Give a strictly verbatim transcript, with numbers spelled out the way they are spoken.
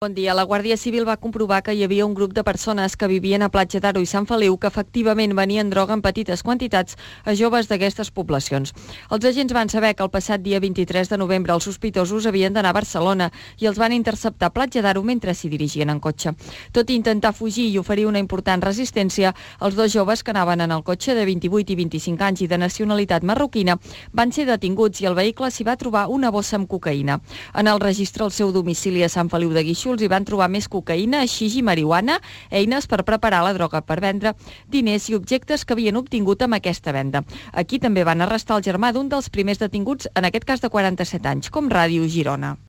Bon dia. La Guàrdia Civil va comprovar que hi havia un grup de persones que vivien a Platja d'Aro i Sant Feliu que efectivament venien droga en petites quantitats a joves d'aquestes poblacions. Els agents van saber que el passat dia vint-i-tres de novembre els sospitosos havien d'anar a Barcelona i els van interceptar a Platja d'Aro mentre s'hi dirigien en cotxe. Tot i intentar fugir i oferir una important resistència, els dos joves que anaven en el cotxe de vint-i-vuit i vint-i-cinc anys i de nacionalitat marroquina van ser detinguts i al vehicle s'hi va trobar una bossa amb cocaïna. En el registre al seu domicili a Sant Feliu de Guíxols hi van trobar més cocaïna, xix i marihuana, eines per preparar la droga per vendre, diners i objectes que havien obtingut amb aquesta venda. Aquí també van arrestar el germà d'un dels primers detinguts, en aquest cas de quaranta-set anys, com Ràdio Girona.